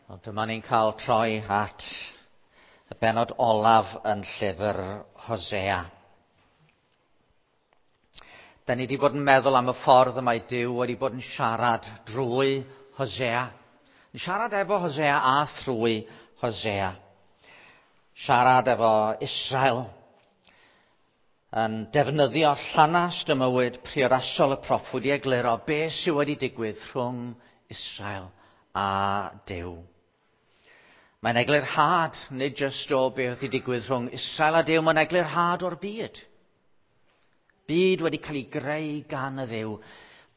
Wel, dyma ni'n cael troi at y benod olaf yn llyfr Hosea. Da ni wedi bod yn meddwl am y ffordd y mae Duw wedi bod yn siarad drwy Hosea. Yn siarad efo Hosea a thrwy Hosea. Siarad efo Israel. Yn defnyddio llanast y mywyd priodasol y proffwyd i egluro beth sydd wedi digwydd rhwng Israel a Duw. Mae'n eglurhad, nid jyst o beth wedi digwydd rhwng Israel a Duw, mae'n eglurhad o'r byd. Byd wedi cael ei greu gan y Dduw.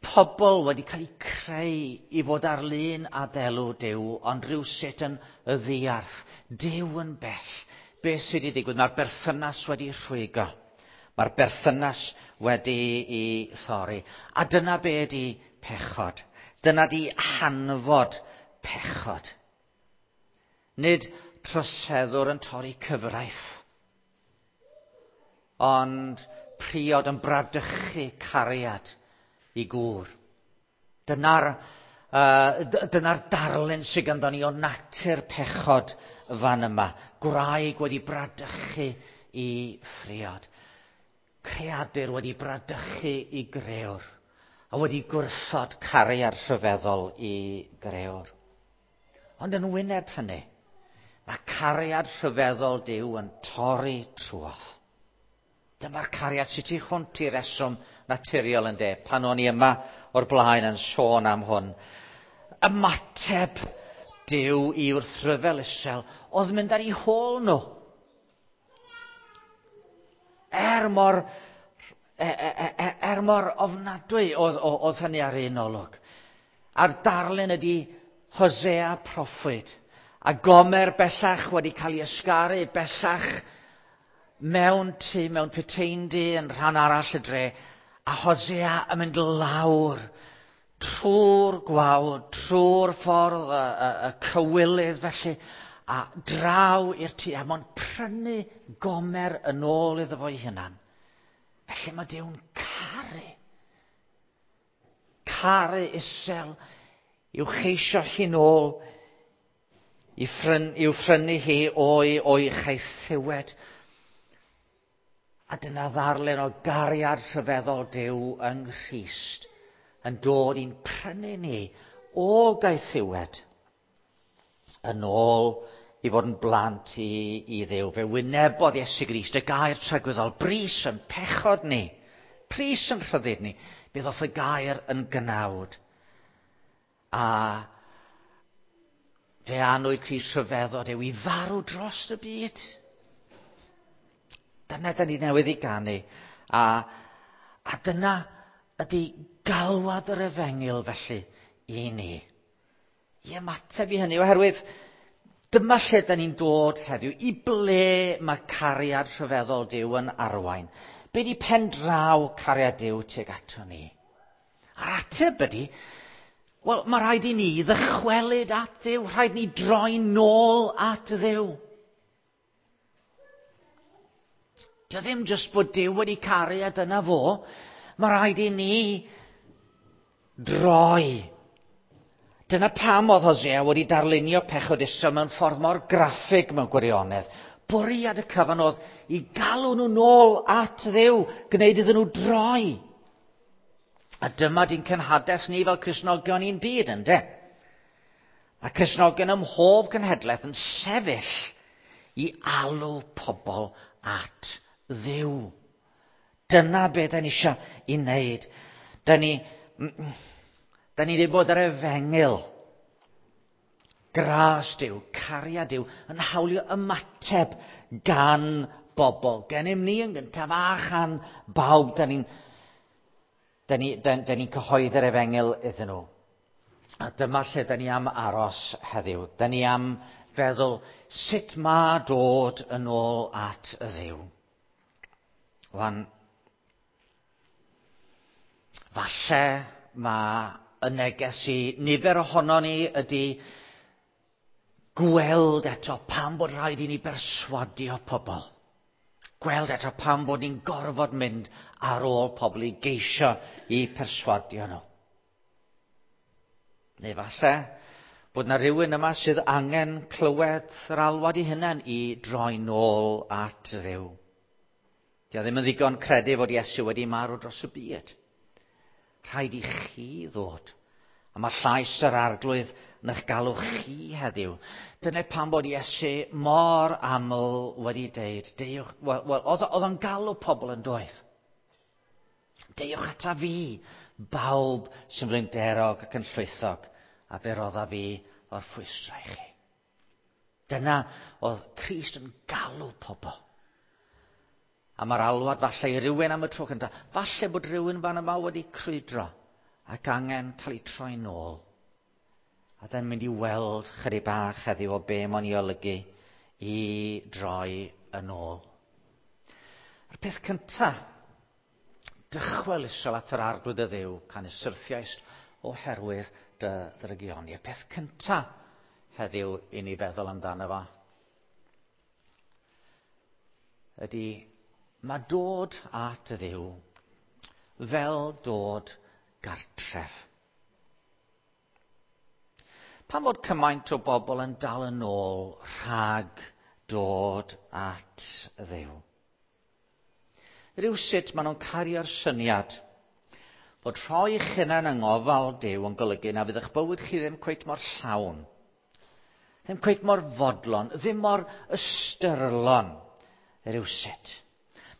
Pobl wedi cael eu creu i fod ar lun a delw Duw, ond rhywsut yn y ddiarth. Duw yn bell. Beth sydd wedi digwydd? Mae'r berthynas wedi rhwygo. Mae'r berthynas wedi i thorri. A dyna be ydi pechod. Dyna di hanfod pechod. Nid troseddwr yn torri cyfraith, ond priod yn bradychu cariad i gŵr. Dyna'r dyna darlun sydd ganddo ni o natur pechod fan yma. Gwraig wedi bradychu i phriod. Creadur wedi bradychu i grëwr. A wedi gwrthod cariad rhyfeddol i grëwr. Ond yn wyneb hynny, mae cariad rhyfeddol Duw yn torri trwodd. Dyma'r cariad sydd tu hwnt i reswm naturiol yn de, pan o'n i yma o'r blaen yn sôn am hwn. Ymateb Duw i wrthryfel Israel oedd mynd ar eu hôl nhw. Er mor, er mor ofnadwy oedd, oedd hynny ar un olwg. A'r darlun ydy Hosea proffwyd. A Gomer bellach wedi cael ei ysgaru bellach mewn tŷ, mewn puteindy yn rhan arall y dre. A Hosea yn mynd lawr trwy'r gwawr, trwy'r ffordd, y, y, y cywilydd felly, a draw i'r tŷ, a mo'n prynu Gomer yn ôl iddo fo'i hunan. Felly mae Duw'n caru. Caru Israel i'w cheisio hi'n ôl, i ffryn, i'w phrynu hi o'i, o'i chaethiwed. A dyna ddarlun o gariad rhyfeddol Duw yng Nghrist yn dod i'n prynu ni o gaethiwed yn ôl i fod yn blant i, i Dduw. Fe wynebodd Iesu Grist y gair tragwyddol, bris yn pechod ni, pris yn rhyddid ni. Fe ddoth y gair yn gnawd. A fe anwyd Crist rhyfeddod yw i farw dros y byd. Dyna da ni newydd i ganu. A, a dyna ydy galwad yr efengyl felly i ni. I ymateb i hynny, oherwydd dyma lle da ni'n dod heddiw, i ble mae cariad rhyfeddol Duw yn arwain. Be di pen draw cariad Duw tuag ato ni? A'r ateb ydy, wel, mae rhaid i ni ddychwelyd at Dduw, rhaid ni droi nôl at Dduw. Dio ddim jyst bod Duw wedi caru a dyna fo. Mae rhaid i ni droi. Dyna pam oedd Hosea wedi darlunio pechod Israel mewn ffordd mor graffig mewn gwirionedd. Bwriad y cyfan oedd i galw nhw nôl at Dduw, gwneud iddyn nhw droi. A dyma di'n cenhades ni fel Cristnogion i'n byd, ynde? A Cristnogion ym mhob cenhedlaeth yn sefyll i alw pobl at Dduw. Dyna be da ni eisiau i wneud. Da ni, da ni wedi bod ar efengyl. Gras Duw, cariad Duw, yn hawlio ymateb gan bobl. Gennym ni yn gyntaf a chan bawb. Da ni'n da ni, da, da ni cyhoeddi'r efengyl iddyn nhw. A dyma lle da ni am aros heddiw. Da ni am feddwl sut mae dod yn ôl at y Dduw. Wan, falle mae y neges i nifer ohono ni ydy gweld eto pam bod rhaid i ni berswadio pobl. Gweld eto pam bod ni'n gorfod mynd ar ôl pobl i geisio i perswadio nhw. Neu falle Bod na rhywun yma sydd angen clywed yr alwad i hunain i droi nôl at Dduw. Dio ddim yn ddigon credu fod Iesu wedi marw dros y byd. Rhaid i chi ddod. A mae llais yr arglwydd yn eich galw chi heddiw. Dyna pam bod Iesu mor aml wedi deud, deuwch, wel, oedd o'n galw pobl yn doedd. Deuwch ata fi, bawb sy'n flinderog ac yn llwythog, a fe rodda fi o'r ffwystrau i chi. Dyna oedd Crist yn galw pobl. A mae'r alwad falle i rywun am y tro cyntaf. Falle bod rhywun fan yma wedi crwydro ac angen cael ei troi nôl. A dyn mynd i weld chydig bach heddiw o be mae'n ei olygu i droi yn ôl. A'r peth cyntaf, dychwel Israel at yr arglwydd y Dduw, canys syrthiaist oherwydd dy ddrygioni. Y peth cyntaf heddiw i ni feddwl amdano fo ydy mae dod at y Dduw fel dod gartref. Pam fod cymaint o bobl yn dal yn ôl rhag dod at y Dduw? Rywsut maen nhw'n cario'r syniad fod rhoi eich hunain yng ngofal Duw yn golygu na fydd eich bywyd chi ddim cweit mor llawn, ddim cweit mor fodlon, ddim mor ystyrlon rywsut.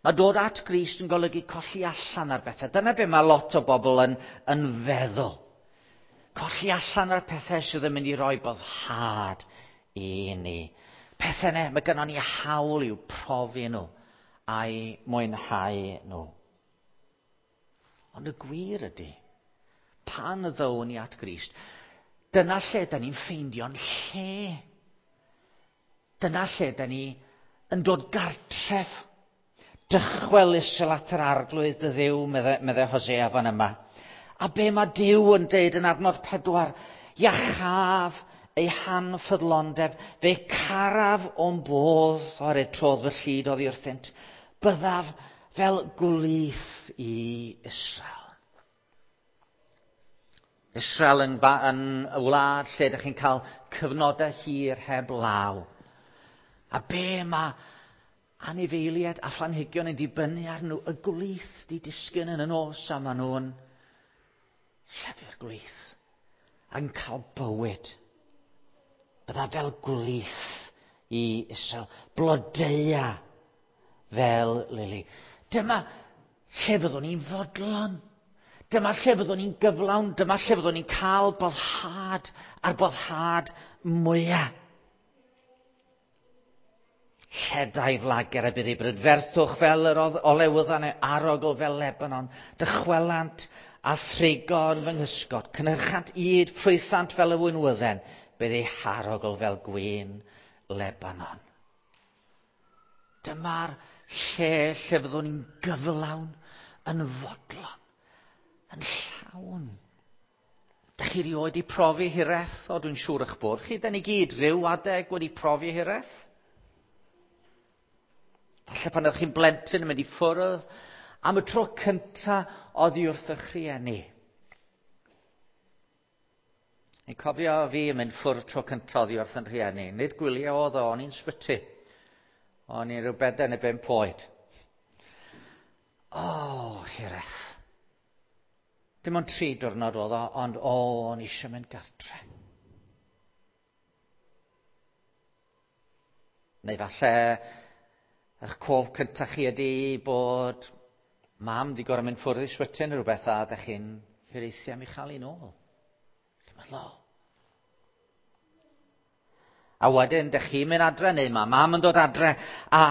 Mae dod at Grist yn golygu colli allan ar bethau. Dyna be mae lot o bobl yn, yn feddwl. Colli allan ar pethau sydd yn mynd i roi boddhad i ni. Pethau ne, mae gynnon ni hawl i'w profi nhw a'i mwynhau nhw. Ond y gwir ydy, pan ddown ni at Grist, dyna lle da ni'n ffeindio'n lle. Dyna lle da ni yn dod gartref. Dychwel Israel at yr arglwydd dy Dduw, medde, medde Hosea fan yma. A be mae Duw yn deud yn adnod 4, iachaf ei hanffyddlondeb, fe caraf o'm bodd, oherwydd trodd fy llid oddi wrthynt, byddaf fel gwlith i Israel. Israel yn, yn y wlad lle ydych chi'n cael cyfnodau hir heb law. A be mae anifeiliaid a phlanhigion yn dibynnu ar nhw, y gwlith di disgyn yn y nos a maen nhw'n llefu'r gwlith ac yn cael bywyd. Bydda fel gwlith i Israel, blodeua fel lili. Dyma lle fyddwn ni'n fodlon. Dyma lle fyddwn ni'n gyflawn. Dyma lle fyddwn ni'n cael boddhad a'r boddhad mwyaf. Lledai flager a bydd ei brydferthwch fel yr olewyddan neu arogl fel Lebanon. Dychwelant a thrigo yn fy nghysgod. Cynhyrchant yd, ffrwythant fel y winwydden. Bydd ei harogl fel gwin Lebanon. Dyma'r lle lle fyddwn ni'n gyflawn, yn fodlon, yn llawn. Dach chi rioed wedi profi hiraeth? O, dwi'n siŵr eich bod chi. Da ni gyd rhyw adeg wedi profi hiraeth. Falle pan ydych chi'n blentyn yn mynd i ffwrdd am y tro cynta oddi wrth eich rhieni. Ni'n cofio fi yn mynd ffwrdd tro cynta oddi wrth yn rhieni. Nid gwyliau oedd o, o'n i'n sbyty. O'n i'n rhyw 4 neu 5 oed. O, hiraeth. Dim ond 3 diwrnod oedd o, ond o, o'n i eisiau mynd gartre. Neu falle eich cof cyntaf chi ydy bod mam di gorau mynd ffwrdd i sbyty neu rhywbeth a ydych chi'n hiraethu am ei chael hi'n ôl. Chi'n meddwl, o. A wedyn, dych chi'n mynd adre neu mae mam yn dod adre a,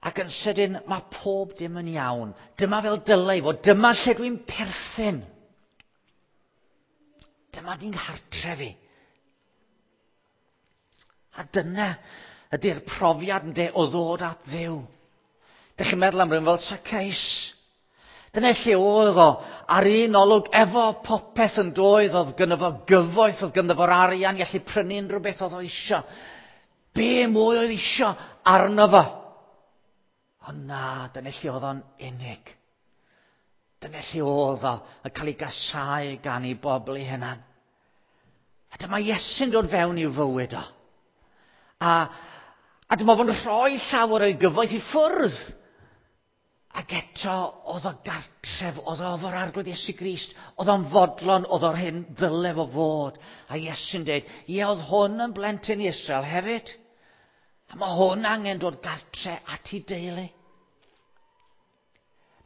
ac yn sydyn mae pob dim yn iawn. Dyma fel dylai fod, dyma lle dwi'n perthyn. Dyma di'n nghartref i. A dyna ydy'r profiad ynde o ddod at Dduw. Dych chi'n meddwl am rhywun fel Zacchaeus. Dyna lle oedd o, ar un olwg, efo popeth yn doedd, oedd gynno fo gyfoeth, oedd gynno fo'r arian i allu prynu unrhyw beth oedd o isio. Be mwy oedd isio arno fo? Ond na, dyna lle oedd o'n unig. Dyna lle oedd o yn cael ei gasau gan ei bobl ei hunan. A dyma Iesu'n dod fewn i'w fywyd o. A, a dyma fo'n rhoi llawer o'i gyfoeth i ffwrdd. Ac eto, oedd o gartref, oedd o efo'r arglwydd Iesu Grist, oedd o'n fodlon, oedd o'r hyn ddyle fo fod. A Iesu'n dweud, ie, oedd hwn yn blentyn Israel hefyd. A mae hwn angen dod gartre at ei deulu.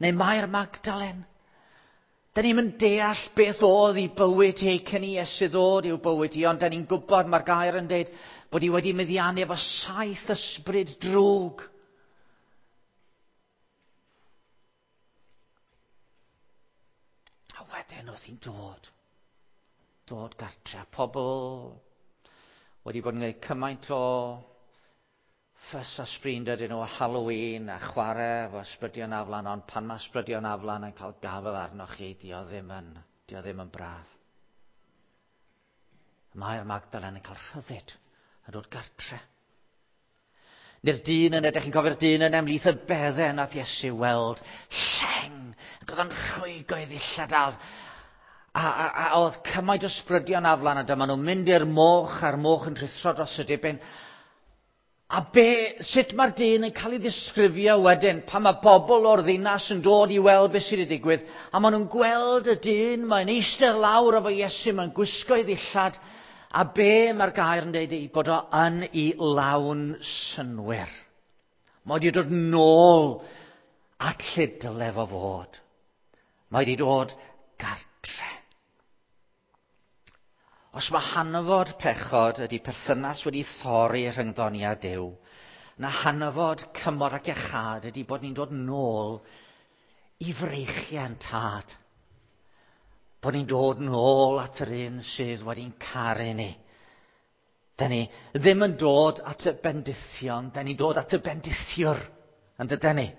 Neu Mair Magdalen. Da ni'n mynd deall beth oedd i bywyd hi cyn i Iesu ddod i'w bywyd hi, ond da ni'n gwybod, mae'r gair yn dweud, bod hi wedi meddiannu efo saith ysbryd drwg. A wedyn oedd hi'n dod. Dod gartre. Pobl wedi bod yn gwneud cymaint o ffys a sbrin dydyn nhw Halloween a chwarae efo ysbrydion aflan, ond pan mae ysbrydion aflan yn cael gafael arnoch chi, dio ddim yn, dio ddim yn braf. Mae'r Magdalen yn cael rhyddid yn dod gartre. Neu'r dyn yn edrych, chi'n cofio'r dyn yn ymlith y beddau nath Iesu weld lleng, ac oedd o'n rhwygo i ddillad a, a, a, a oedd cymaint o ysbrydion aflan a dyma nhw'n mynd i'r moch a'r moch yn rhuthro dros y dibyn. A be, sut mae'r dyn yn cael ei ddisgrifio wedyn pan mae bobl o'r ddinas yn dod i weld beth sydd wedi digwydd a maen nhw'n gweld y dyn, mae'n eistedd lawr efo Iesu, mae'n gwisgo ei ddillad a be mae'r gair yn dweud ei bod o yn ei lawn synwyr. Mae wedi dod nôl at lle dyle fo fod. Mae wedi dod gartre. Os mae hanfod pechod ydy perthynas wedi thorri rhyngddo ni a Duw, na hanfod cymor ac iachâd ydy bod ni'n dod nôl i freichiau'n tad. Bod ni'n dod nôl at yr un sydd wedi'n caru ni. Da ni ddim yn dod at y bendithion, da ni'n dod at y bendithiwr, yn dydyn ni?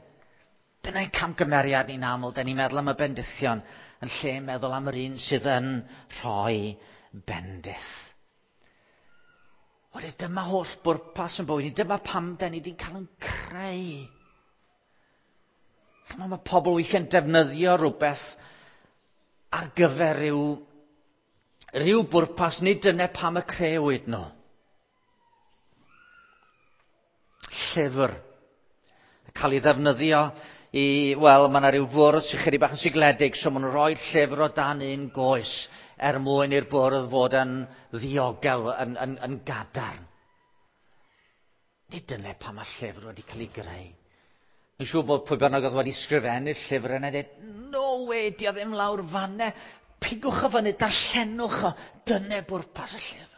Dyna'n camgymeriad ni'n aml, da ni'n meddwl am y bendithion yn lle meddwl am yr un sydd yn rhoi bendith. Wedyn dyma holl bwrpas yn bywyd ni, dyma pam da ni wedi cael yn creu. Chymod, mae pobl weithiau'n defnyddio rhywbeth ar gyfer rhyw, rhyw bwrpas, nid dyna pam y creuwyd nhw. Llyfr. Cael ei ddefnyddio i, wel, mae yna rhyw fwrdd sy'n chydig bach yn sigledig, so maen nhw'n rhoi llyfr o dan un goes er mwyn i'r bwrdd fod yn ddiogel, yn, yn, yn gadarn. Nid dyna pam mae llyfr wedi cael ei greu. Yn siŵr bod pwy bynnag oedd wedi sgrifennu'r llyfr yna dweud, no way, di o ddim lawr fanne, pigwch o fyny, darllenwch o, dyna bwrpas y llyfr.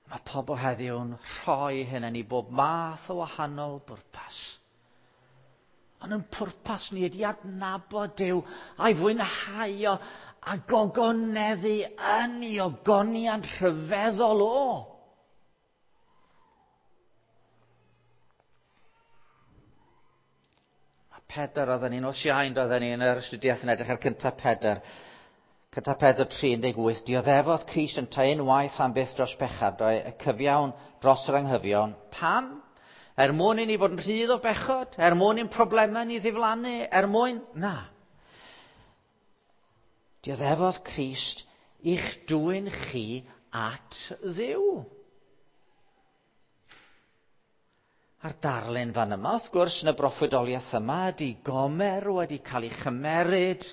Mae pobl heddiw'n rhoi hynny i bob math o wahanol bwrpas. Ond yn pwrpas ni ydy adnabod Duw a'i fwynhau o a gogoneddu yn ei ogoniant rhyfeddol o. Mae Pedr oedden ni'n os iawn oedden ni yn yr astudiaeth yn edrych ar cyntaf Pedr. Cyntaf Pedr 3.18, dioddefodd Crist yntau unwaith am byth dros bechad, y cyfiawn dros yr anghyfiawn. Pam? Er mwyn i ni fod yn rhydd o bechod? Er mwyn i'n problemau ni ddiflannu? Er mwyn? Na. Dioddefodd Crist i'ch dwyn chi at Dduw. A'r darlun fan yma, wrth gwrs, yn y broffwydoliaeth yma, ydy Gomer wedi cael ei chymeryd,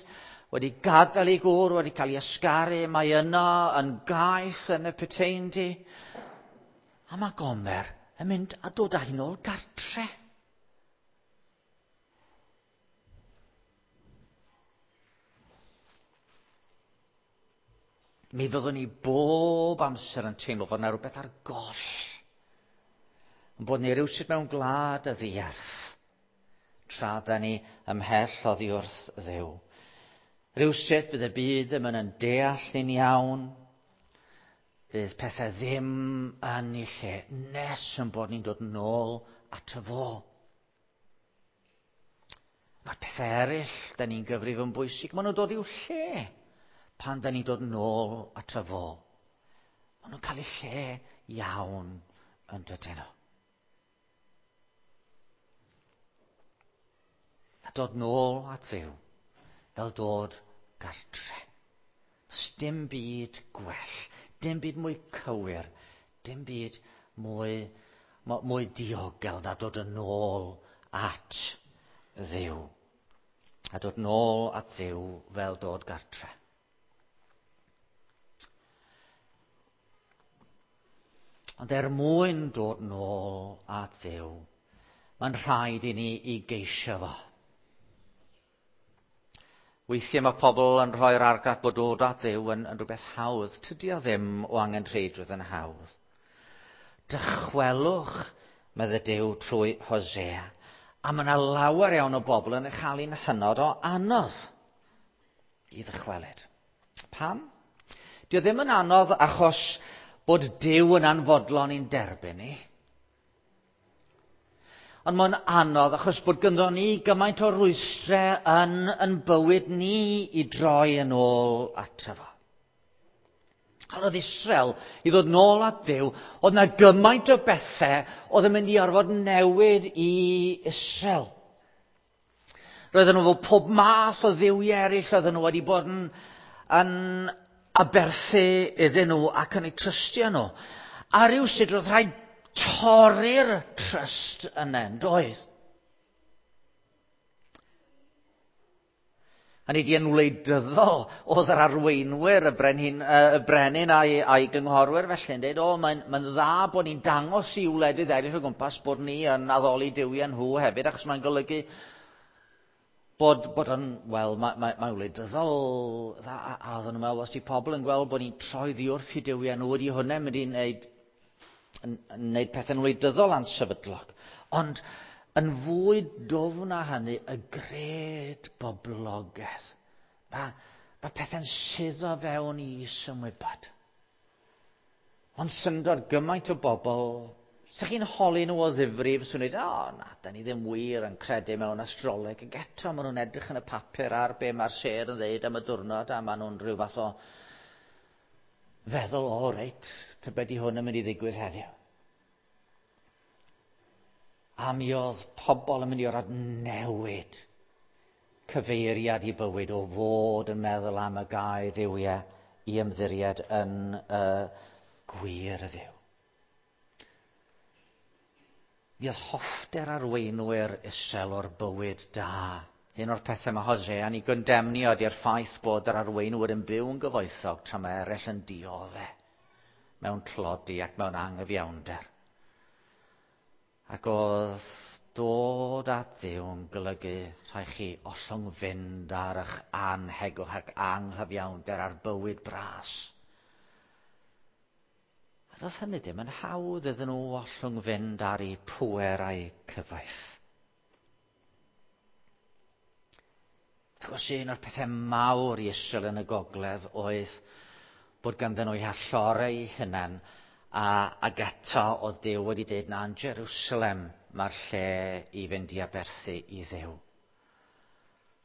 wedi gadael ei gŵr, wedi cael ei ysgaru, mae yno yn gaeth yn y puteindi. A mae Gomer yn mynd a dod â hi nôl gartre. Mi fyddwn ni bob amser yn teimlo fod yna rhywbeth ar goll. Yn bod ni rywsut mewn gwlad y ddiarth, tra da ni ymhell oddi wrth Dduw. Rywsut fydd y byd ddim yn deall ni'n iawn, fydd pethau ddim yn ei lle nes yn bod ni'n dod nôl at y fo. Mae'r pethau eraill, da ni'n gyfrif yn bwysig, maen nhw'n dod i'w lle pan da ni'n dod nôl at y fo. Maen nhw'n cael eu lle iawn yn dydyn nhw. A dod nôl at Dduw fel dod gartre. Dim byd gwell, dim byd mwy cywir, dim byd mwy, mwy diogel na dod yn ôl at Dduw. A dod nôl at Dduw fel dod gartre. Ond er mwyn dod nôl at Dduw, mae'n rhaid i ni i geisio fo. Weithiau mae pobl yn rhoi'r argraff bod dod at Dduw yn, yn rhywbeth hawdd. Tydi o ddim o angenrheidrwydd yn hawdd. Dychwelwch, medde Duw trwy Hosea. A mae yna lawer iawn o bobl yn ei chael hi'n hynod o anodd i ddychwelyd. Pam? Dio ddim yn anodd achos bod Duw yn anfodlon i'n derbyn ni. Ond mae'n anodd achos bod gynddo ni gymaint o rwystrau yn, yn bywyd ni i droi yn ôl ato fo. Pan oedd Israel i ddod nôl at Dduw, oedd na gymaint o bethau oedd yn mynd i orfod newid i Israel. Roedden nhw fel pob math o dduwiau eraill oedden nhw wedi bod yn, yn aberthu iddyn nhw ac yn eu trystio nhw. A rhywsut roedd rhaid torri'r trust yna, yn doedd? Hynny di yn wleidyddol oedd yr arweinwyr, y brenin, y brenin a'i, a'i gynghorwyr felly yn dweud, o, mae'n mae dda bod ni'n dangos i wledydd eraill o gwmpas bod ni yn addoli duwiau nhw hefyd, achos mae'n golygu bod, bod yn, wel, mae, mae, mae wleidyddol dda, a, a oedden nhw'n meddwl, os di pobl yn gweld bod ni'n troi ddi wrth i duwiau nhw, ydy hwnna'n mynd i wneud, yn, yn wneud pethau'n wleidyddol ansefydlog. Ond yn fwy dwfn na hynny, y gred boblogaeth. Mae, mae pethau'n suddo fewn i isymwybod. Ond syndod gymaint o bobl, sa chi'n holi nhw o ddifrif, swn i'n dweud, o na, da ni ddim wir yn credu mewn astroleg. Ac eto, maen nhw'n edrych yn y papur ar be mae'r sêr yn dweud am y diwrnod, a maen nhw'n rhyw fath o feddwl, o reit, tybed i hwn yn mynd i ddigwydd heddiw. A mi oedd pobl yn mynd i orfod newid cyfeiriad i bywyd o fod yn meddwl am y gau dduwiau i ymddiried yn y gwir Dduw. Mi oedd hoffter arweinwyr Israel o'r bywyd da. Un o'r pethau mae Hosea yn ei gondemnio ydy'r ffaith bod yr arweinwyr yn byw yn gyfoethog tra mae eraill yn dioddef mewn tlodi ac mewn anghyfiawnder. Ac oedd dod at Dduw yn golygu rhaid chi ollwng fynd ar eich anhegwch ac anghyfiawnder ar bywyd bras. A doedd hynny ddim yn hawdd iddyn nhw ollwng fynd ar eu pŵer a'u cyfoeth. Wrth gwrs, un o'r pethau mawr i Israel yn y gogledd oedd bod ganddyn nhw eu hallorau eu hunain, a, ac eto oedd Duw wedi dweud na yn Jerusalem mae'r lle i fynd i aberthu i Dduw.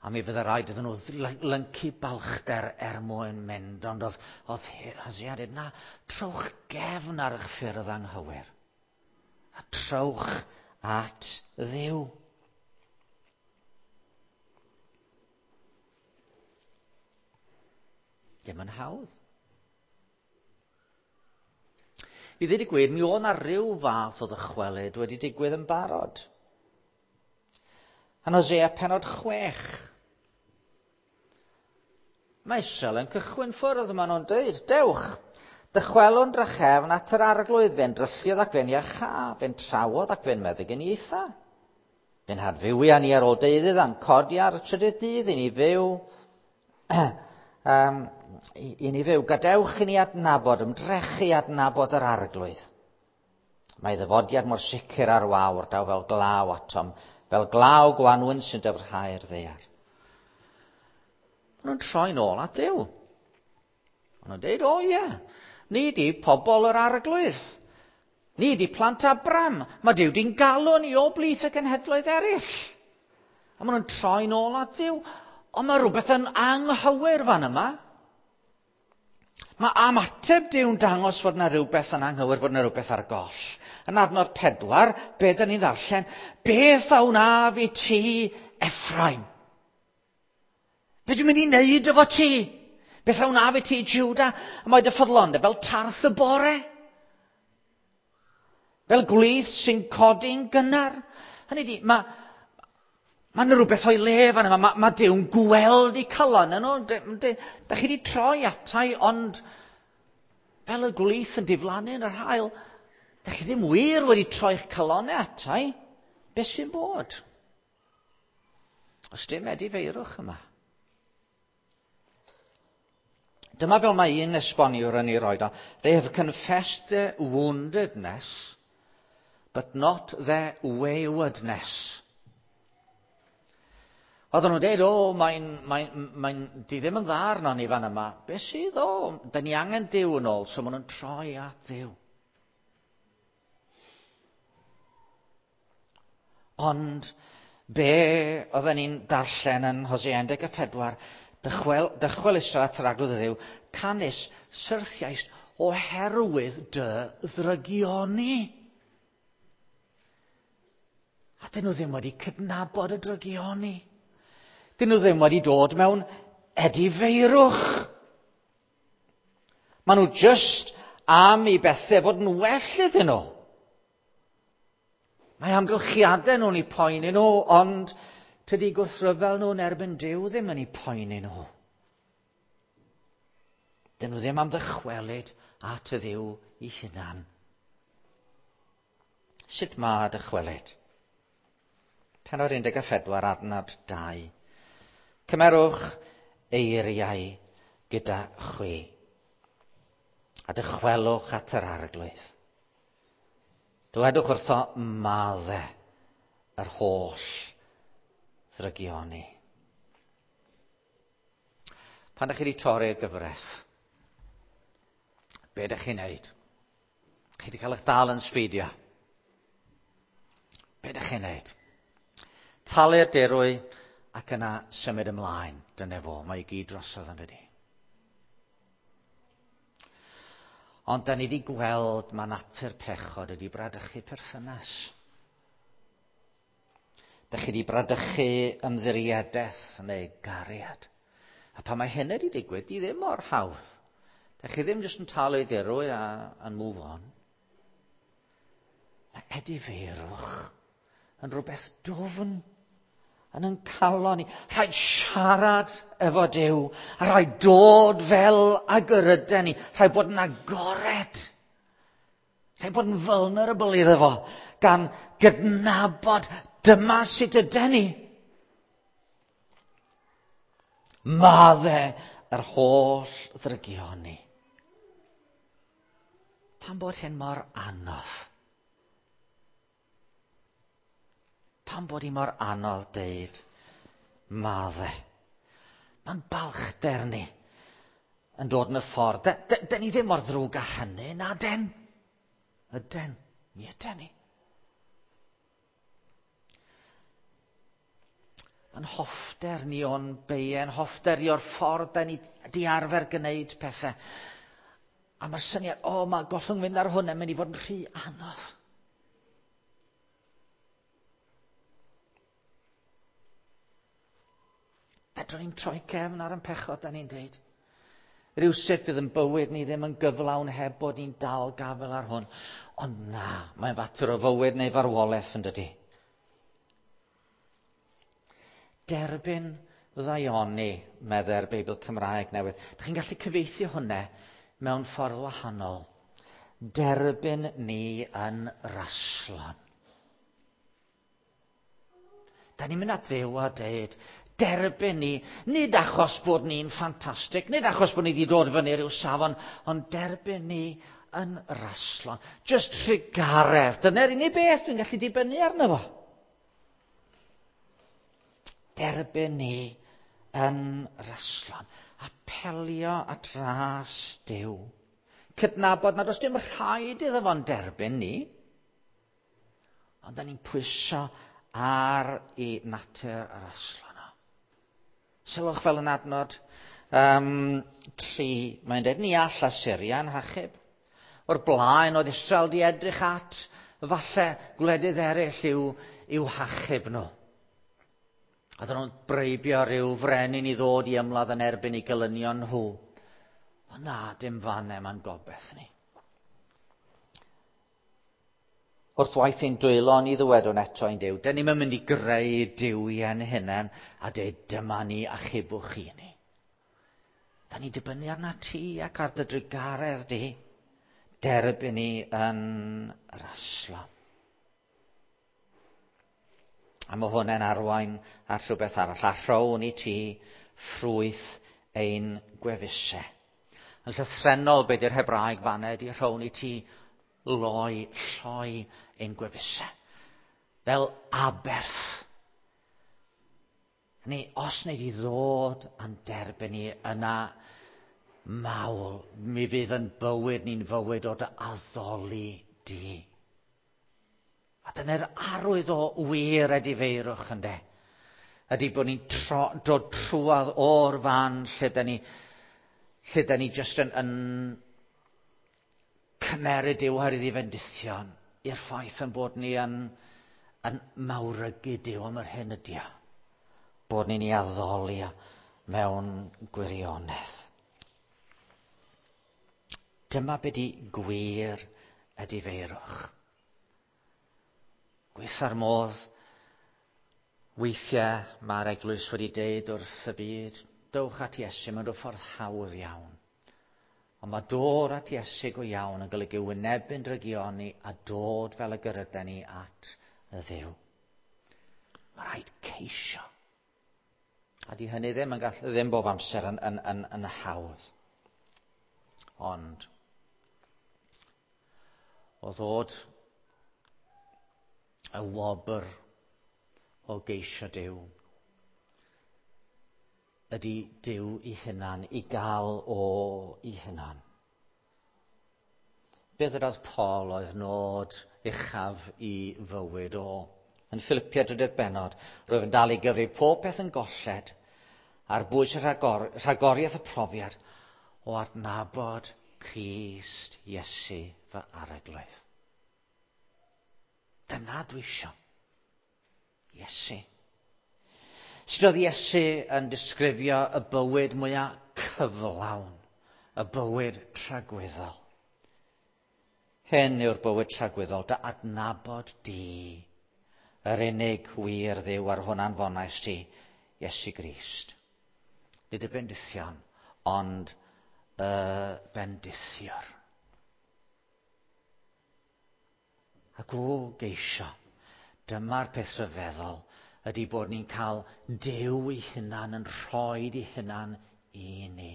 A mi fydde rhaid iddyn nhw lyncu balchder er mwyn mynd, ond oedd, oedd Hosea dweud, na, trowch gefn ar eich ffyrdd anghywir. A trowch at Dduw. Dim yn hawdd. I ddweud y gwir, mi oedd 'na ryw fath o ddychwelyd wedi digwydd yn barod. Yn Hosea penod 6. Mae Israel yn cychwyn ffwrdd, maen nhw'n dweud, dewch, dychwelwn drachefn at yr arglwydd, fe'n drylliodd ac fe'n iacha, fe'n trawodd ac fe'n meddyginiaetha. Fe'n hadfywia ni ar ôl deuddydd a'n codi ar y trydydd dydd i ni fyw. um, i, i ni fyw. Gadewch i ni adnabod, ymdrechu adnabod yr arglwydd. Mae ddyfodiad mor sicr ar wawr, daw fel glaw atom, fel glaw gwanwyn sy'n dyfrhau'r ddaear. Maen nhw'n troi nôl at Dduw. Maen nhw'n dweud, o ie, ni di pobl yr arglwydd. Ni di plant Abram. Mae Duw di'n galw ni o blith y cenhedloedd eraill. A maen nhw'n troi nôl at Dduw. Ond mae rhywbeth yn anghywir fan yma. Mae ymateb Duw'n dangos fod yna rhywbeth yn anghywir, fod yna rhywbeth ar goll. Yn adnod 4, be dyn ni'n ddarllen? Beth a wnaf i ti, Ephraim? Be dwi'n mynd i wneud efo ti? Beth a wnaf i ti, Juda? A mae dy ffyddlondeb fel tarth y bore. Fel gwlith sy'n codi'n gynnar. Hynny di, mae yna rhywbeth o'i le fan yma. Mae Duw'n gweld eu calon nhw. Da chi wedi troi atai, ond fel y gwlith yn diflannu yn yr haul, da chi ddim wir wedi troi'ch calonau atai. Beth sy'n bod? Oes dim edifeirwch yma. Dyma fel mae un esboniwr yn ei roed o. They have confessed their woundedness, but not their waywardness. Oedden nhw'n dweud, o, mae'n, mae, mae, di ddim yn dda arno ni fan yma. Be sydd o? Da ni angen Duw yn ôl, so maen nhw'n troi at Dduw. Ond be oedden ni'n darllen yn Hosea 14, dychwel, dychwel Israel at yr arglwydd Dduw, canys syrthiaist oherwydd dy ddrygioni. A dyn nhw ddim wedi cydnabod y drygioni. Dyn nhw ddim wedi dod mewn edifeirwch. Maen nhw just am i bethau fod yn well iddyn nhw. Mae amgylchiadau nhw'n eu poeni nhw, ond tydi gwrthryfel nhw'n erbyn Duw ddim yn eu poeni nhw. Dyn nhw ddim am ddychwelyd at y Dduw i hunan. Sut mae dychwelyd? Pennod 14, adnod 2. Cymerwch eiriau gyda chwi a dychwelwch at yr arglwydd. Dywedwch wrtho madde yr holl ddrygioni. Pan ydych chi wedi torri'r gyfraith, be ydych chi'n neud? Chi wedi cael eich dal yn sbeidio. Be ydych chi'n neud? Talu'r dirwy ac yna symud ymlaen. Dyna fo, mae i gyd drosodd yn dydi. Ond da ni wedi gweld mae natur pechod ydi bradychu perthynas. Da chi wedi bradychu ymddiriedaeth neu gariad. A pan mae hynny wedi digwydd, di ddim mor hawdd. Da chi ddim jyst yn talu dirwy a and move on. Mae edifeirwch yn rhywbeth dwfn yn yn calon ni. Rhaid siarad efo Duw, a rhaid dod fel ag yr yden ni. Rhaid bod yn agored. Rhaid bod yn vulnerable iddo fo, gan gydnabod dyma sut yden ni. Madde yr holl ddrygioni. Pam bod hyn mor anodd? Pam bod hi mor anodd deud madde? Mae'n balchder ni yn dod yn y ffordd. De ni ddim mor ddrwg â hynny, na den. Yden, mi yden ni. Mae'n hoffter ni o'n beien, hoffter ni o'r ffordd da ni di arfer gwneud pethau. A mae'r syniad, o, mae gollwng fynd ar hwn yn mynd i fod yn rhy anodd. Fedrwn ni'n troi cefn ar yn pechod, da ni'n deud. Rhywsut fydd yn bywyd ni ddim yn gyflawn heb bod ni'n dal gafel ar hwn. Ond na, mae'n fater o fywyd neu farwolaeth yn dydi. Derbyn ddaioni, meddai'r Beibl Cymraeg newydd. Dych chi'n gallu cyfieithu hwnna mewn ffordd wahanol. Derbyn ni yn raslon. Da ni'n mynd at Dduw a deud, derbyn ni, nid achos bod ni'n ffantastig, nid achos bod ni wedi dod fyny rhyw safon, ond derbyn ni yn raslon. Just trugaredd. Dyna'r unig beth dwi'n gallu dibynnu arno fo. Derbyn ni yn raslon. Apelio at ras Duw. Cydnabod nad oes dim rhaid iddo fo'n derbyn ni, ond da ni'n pwyso ar i natur yr aslon o. Sylwch fel yn adnod 3, mae'n dweud, ni all Assyria'n hachub. O'r blaen oedd Israel di edrych at falle gwledydd eraill i'w hachub nhw. Oedden nhw'n breibio rhyw frenin i ddod i ymladd yn erbyn eu gelynion nhw. Ond na, dim fan e ma'n gobeith ni. Wrth waith ein dwylo ni ddywedwn eto ein Duw, dyn ni'n mynd i greu duwiau'n hunain a dweud dyma ni achubwch chi ni. Da ni'n dibynnu arna ti ac ar dy drugaredd di. Derbyn ni yn raslon. A mae hwnna'n arwain at rhywbeth arall. A rhown i ti ffrwyth ein gwefusau. Yn llythrennol, be di'r Hebraeg fanna ydi rhown i ti loi, lloi ein gwefusau. Fel aberth. Ni, os wneud i ddod a'n derbyn ni yna mawl, mi fydd yn bywyd ni'n fywyd o dy addoli di. A dyna'r arwydd o wir edifeirwch ynde. Ydy bod ni'n tro, dod trwadd o'r fan lle da ni, lle da ni jyst yn, yn cymeryd Duw oherwydd ei fendithion i'r ffaith yn bod ni yn, yn mawrygu Duw am yr hyn ydy o. Bod ni'n ei addoli mewn gwirionedd. Dyma be di gwir edifeirwch. Gweitha'r modd, weithiau mae'r eglwys wedi deud wrth y byd, dowch at Iesu mewn rhyw ffordd hawdd iawn. Ond mae dod at Iesu go iawn yn golygu wynebu'n drygioni a dod fel y gyryden ni at y Dduw. Mae rhaid ceisio. A di hynny ddim yn gallu, ddim bob amser yn, yn, yn, yn hawdd. Ond, o ddod y wobr o geisio Duw ydy Duw i hunan, i gael o i hunan. Beth ydodd Paul oedd nod uchaf i fywyd o? Yn Philipia drydydd benod, rwyf yn dal i gyfri pob peth yn golled ar bwys y rhagor, rhagoriaeth y profiad o adnabod Crist Iesu fy arglwydd. Dyna dwi isio. Iesu. Sut oedd Iesu yn disgrifio y bywyd mwyaf cyflawn, y bywyd tragwyddol? Hyn yw'r bywyd tragwyddol, dy adnabod di, yr unig wir Dduw ar hwn anfonais ti, Iesu Grist. Nid y bendithion, ond y bendithiwr. Ac o geisio, dyma'r peth rhyfeddol, ydy bod ni'n cael Duw ei hunan yn rhoi ei hunan i ni.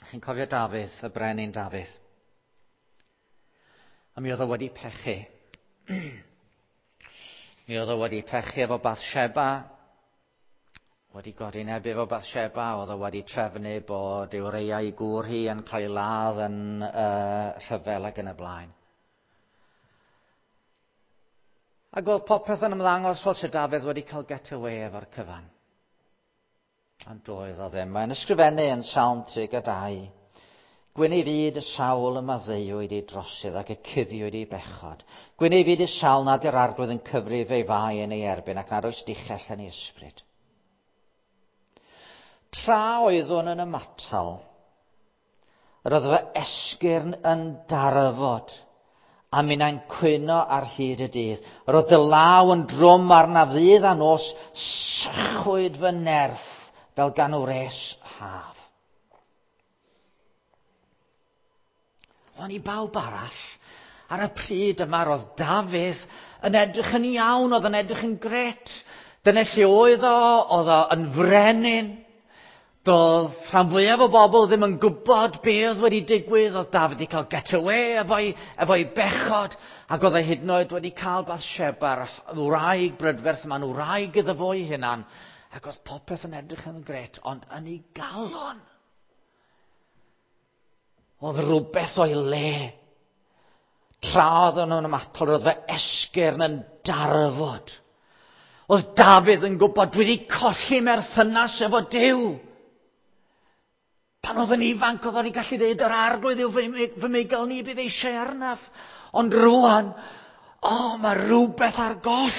Chi'n cofio Dafydd, y brenin Dafydd? A mi oedd o wedi pechu. Mi oedd o wedi pechu efo Bathsheba, wedi godinebu efo Bathsheba, oedd o wedi trefnu bod Ureia i gŵr hi yn cael ei ladd yn uh, rhyfel ac yn y blaen. Ac oedd popeth yn ymddangos fel sydd Dafydd wedi cael get away efo'r cyfan. Ond doedd o ddim. Mae'n ysgrifennu yn Salm 32. Gwyn ei fyd y sawl y maddeuwyd ei drosydd ac y cuddiwyd ei bechod. Gwyn ei fyd y sawl nad yw'r arglwydd yn cyfrif ei fai yn ei erbyn ac nad oes dichell yn ei ysbryd. Tra oeddwn yn ymatal, yr oedd fy esgyrn yn darfod, a minnau'n cwyno ar hyd y dydd. Yr oedd dy law yn drwm arnaf ddydd a nos, sychwyd fy nerth fel gan wres haf. O'n i bawb arall, ar y pryd yma roedd Dafydd yn edrych yn iawn, oedd yn edrych yn gret. Dyna lle oedd o, oedd o yn frenin. Doedd rhan fwyaf o bobl ddim yn gwybod be oedd wedi digwydd. Oedd Dafydd wedi cael get away efo'i, efo bechod, ac oedd e hyd yn oed wedi cael Bathsheba'r wraig brydferth yma'n wraig iddo fo'i hunan. Ac oedd popeth yn edrych yn gret, ond yn ei galon Oedd rhywbeth o'i le. Tra oedd nhw'n ymatol, roedd fy esgyrn yn darfod. Oedd Dafydd yn gwybod, dwi wedi colli merthynas efo Duw. Pan oedd yn ifanc, oedd wedi gallu dweud, yr arglwydd yw fy, fy meigal ni bydd eisiau arnaf. Ond rwan, o, oh, mae rhywbeth ar goll.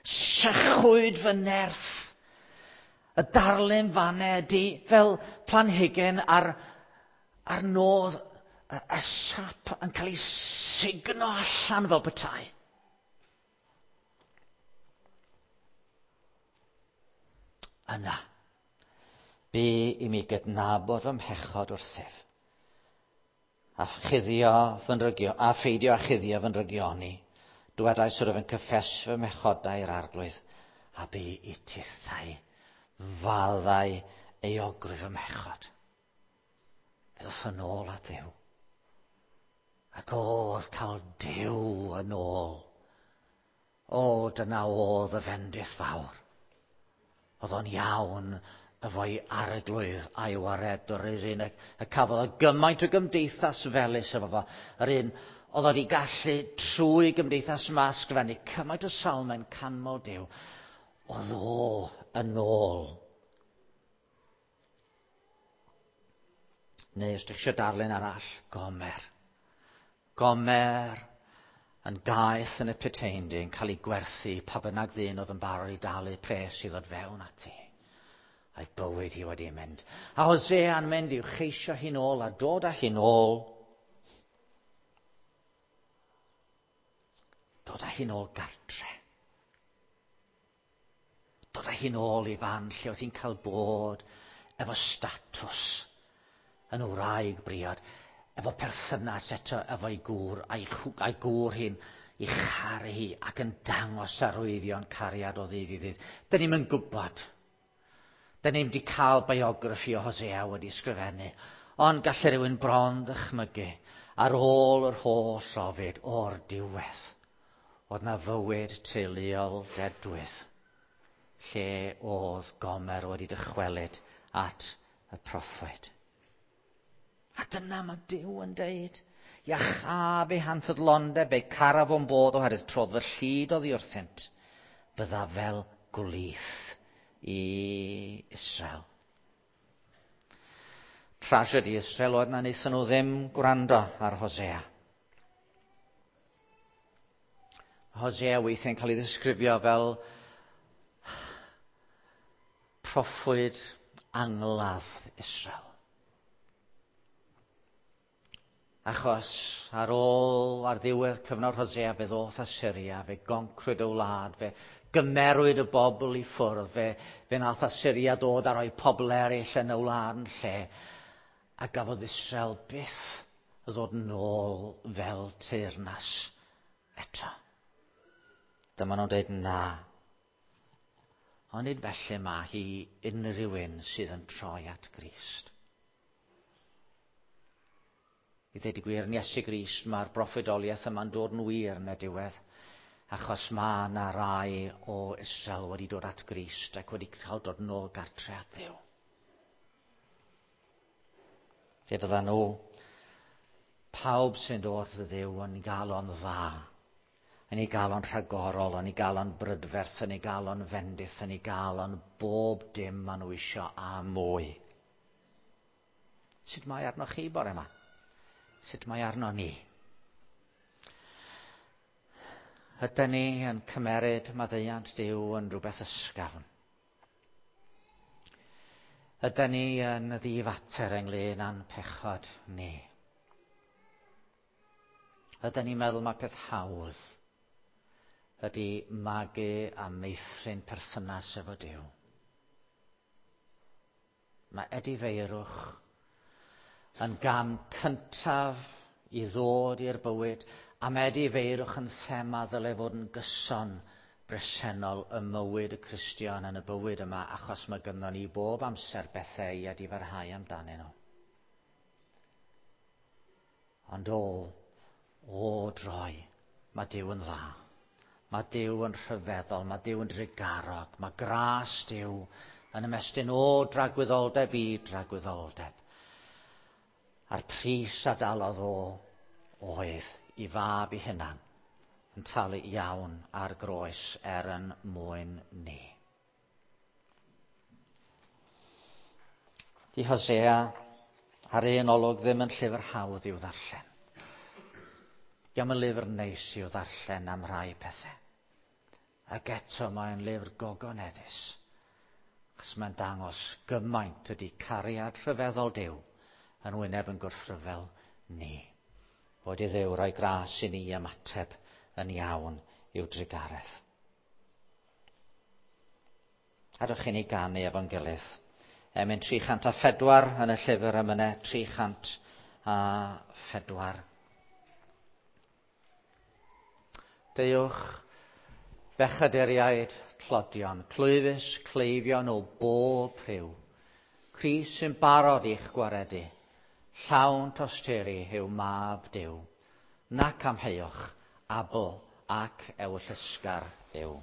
Sychwyd fy nerth. Y darlun fanne ydy fel planhigyn ar, ar nodd y, y sap yn cael ei sugno allan fel petai. Yna, bu i mi gydnabod fy mhechod wrthyf, a chuddio fy nrygio, a pheidio â chuddio fy nrygioni. Dwedais wrth yn cyffesu fy mhechodau i'r arglwydd, a bu i tithau faddau euogrwydd fy mhechod. Fe ddoth yn ôl at Dduw. Ac oedd cael Duw yn ôl. O, dyna oedd y fendith fawr. Oedd o'n iawn efo'i arglwydd a'i waredwr, yr un y, y cafodd o gymaint o gymdeithas felys efo fo, yr un oedd wedi gallu trwy gymdeithas yma ysgrifennu cymaint o salmau'n canmol Duw, oedd o yn ôl. Neu os ydych eisiau darlun arall, Gomer. Gomer yn gaeth yn y puteindi yn cael ei gwerthu pa bynnag ddyn oedd yn barod i dalu pres i ddod fewn ati. A'i bywyd hi wedi mynd. A Hosea'n mynd i'w cheisio hi'n ôl a dod â hi'n ôl. Dod â hi'n ôl gartre. Dod â hi'n ôl i fan lle oedd hi'n cael bod efo statws yn wraig briod, efo perthynas eto efo'i gŵr, a'i, a'i gŵr hi'n i charu hi ac yn dangos arwyddion cariad o ddydd i ddydd. Dyn ni'm yn gwybod. Dyn ni'm wedi cael biograffi o Hosea wedi sgrifennu, ond gallai rhywun bron ddychmygu ar ôl yr holl ofid o'r diwedd. Oedd na fywyd teuluol dedwydd lle oedd Gomer wedi dychwelyd at y proffwyd. A dyna mae Duw yn deud. Iachaf eu hanffyddlondeb, eu caraf o'n bodd oherwydd trodd fy llid oddi wrthynt. Bydda fel gwlith i Israel. Tragedy Israel oedd na wnaethon nhw ddim gwrando ar Hosea. Hosea weithiau'n cael ei ddisgrifio fel proffwyd angladd Israel. Achos ar ôl, ar ddiwedd cyfnod Hosea, fe ddoth Assyria, fe goncrwyd y wlad, fe gymerwyd y bobl i ffwrdd, fe, fe nath Assyria dod a rhoi pobl eraill yn y wlad yn lle, a gafodd Israel byth ddod nôl fel teyrnas eto. Dyma nhw'n dweud na. Ond nid felly mae hi unrhyw un sydd yn troi at Grist. I ddweud y gwir, yn Iesu Grist mae'r broffwydoliaeth yma'n dod yn wir yn y diwedd, achos mae yna rai o Israel wedi dod at Grist ac wedi cael dod nôl gartre at Dduw. Fe fydda nhw, pawb sy'n dod at Dduw yn gael o'n dda, yn ei gael o'n rhagorol, yn ei gael o'n brydferth, yn ei gael o'n fendith, yn ei gael o'n bob dim maen nhw isio a mwy. Sut mae arnoch chi bore yma? Sut mae arno ni? Ydyn ni yn cymeryd maddeuant Duw yn rhywbeth ysgafn? Ydyn ni yn ddifater ynglyn â'n pechod ni? Ydyn ni'n meddwl mae peth hawdd ydy magu a meithrin perthynas efo Duw? Mae edifeirwch yn gam cyntaf i ddod i'r bywyd, a mae edifeirwch yn thema ddylai fod yn gyson bresennol ym mywyd y Cristion yn y bywyd yma, achos mae gynnon ni bob amser bethau i edifarhau amdanyn nhw. Ond o, o droi, mae Duw yn dda. Mae Duw yn rhyfeddol, mae Duw yn drugarog, mae gras Duw yn ymestyn o dragwyddoldeb i dragwyddoldeb. A'r pris a dalodd o oedd i fab i hunan yn talu iawn ar groes er yn mwyn ni. Di Hosea ar un olwg ddim yn llyfr hawdd i'w ddarllen. Diolch yn lyfr neis i'w ddarllen am rhai pethau. Ac eto mae'n lyfr gogoneddus. Achos mae'n dangos gymaint ydy cariad rhyfeddol Duw yn wyneb yn gwrthryfel ni. Boed i Dduw roi gras i ni ymateb yn iawn i'w drugaredd. Adwch i ni ganu efo'n gilydd. Emyn 304 yn y llyfr emynau 304. Deuwch bechaduriaid tlodion, clwyfus cleifion o bob rhyw. Crist sy'n barod i'ch gwaredu. Llawn tosturi yw mab Duw. Nac amheuwch, abl ac ewyllysgar yw.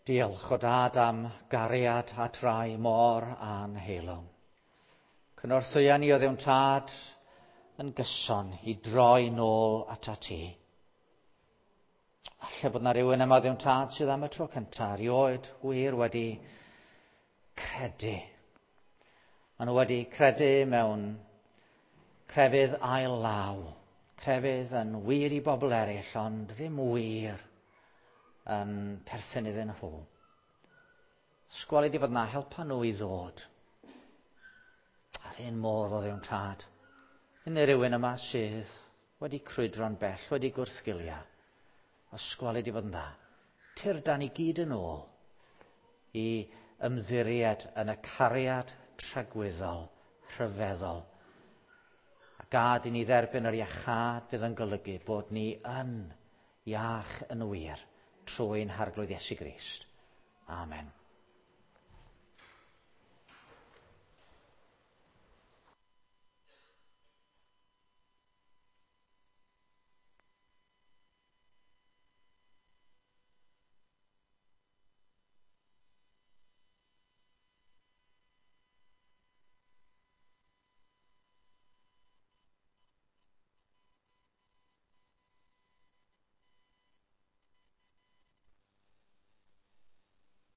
Diolch o dad am gariad at rai mor anheilwng. Cynorthwya ni o Dduw'n tad yn gyson i droi nôl atat ti. Falle bod na rhywun yma Dduw'n tad sydd am y tro cyntaf erioed wir wedi credu. Maen nhw wedi credu mewn crefydd ail law. Crefydd yn wir i bobl eraill, ond ddim wir yn perthyn iddyn nhw. Sgwali di fod na, helpa nhw i ddod. A'r un modd o Dduw'n tad. Unrhyw rywun yma sydd wedi crwydro'n bell, wedi gwrthgilio. Ysgwali di fod yn dda. Tyrdan ni gyd yn ôl i ymddiried yn y cariad tragwyddol, rhyfeddol. A gad i ni dderbyn yr iachâd fydd yn golygu bod ni yn iach yn wir trwy'n Harglwydd Iesu Grist. Amen.